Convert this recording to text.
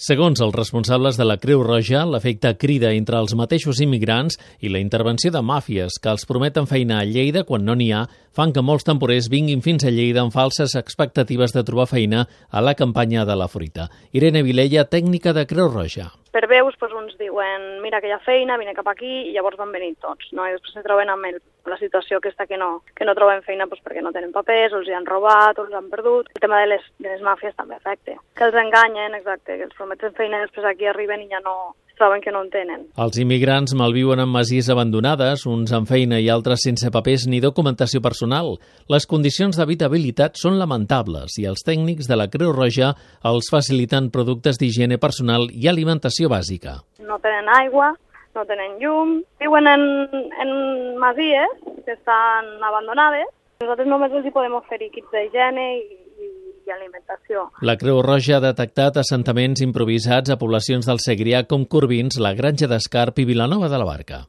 Segons els responsables de la Creu Roja, l'efecte crida entre els mateixos immigrants i la intervenció de màfies que els prometen feina a Lleida quan no n'hi ha, fan que molts temporers vinguin fins a Lleida amb falses expectatives de trobar feina a la campanya de la fruita. Irene Vilella, tècnica de Creu Roja. Per veus, uns diuen, mira que hi ha feina, vine cap aquí, i llavors van venir tots, no? I després se troben amb la situació aquesta que no troben feina perquè no tenen papers, o els hi han robat, o els han perdut. El tema de les màfies també afecta. Que els enganyen, exacte, que els prometen feina i després aquí arriben i ja no troben que no en tenen. Els immigrants malviuen en masies abandonades, uns amb feina i altres sense papers ni documentació personal. Les condicions d'habitabilitat són lamentables i els tècnics de la Creu Roja els faciliten productes d'higiene personal i alimentació bàsica. No tenen aigua, no tenen llum, viuen en masies que estan abandonades. Nosaltres només els hi podem oferir kits d'higiene i alimentació. La Creu Roja ha detectat assentaments improvisats a poblacions del Segrià com Corbins, la Granja d'Escarp i Vilanova de la Barca.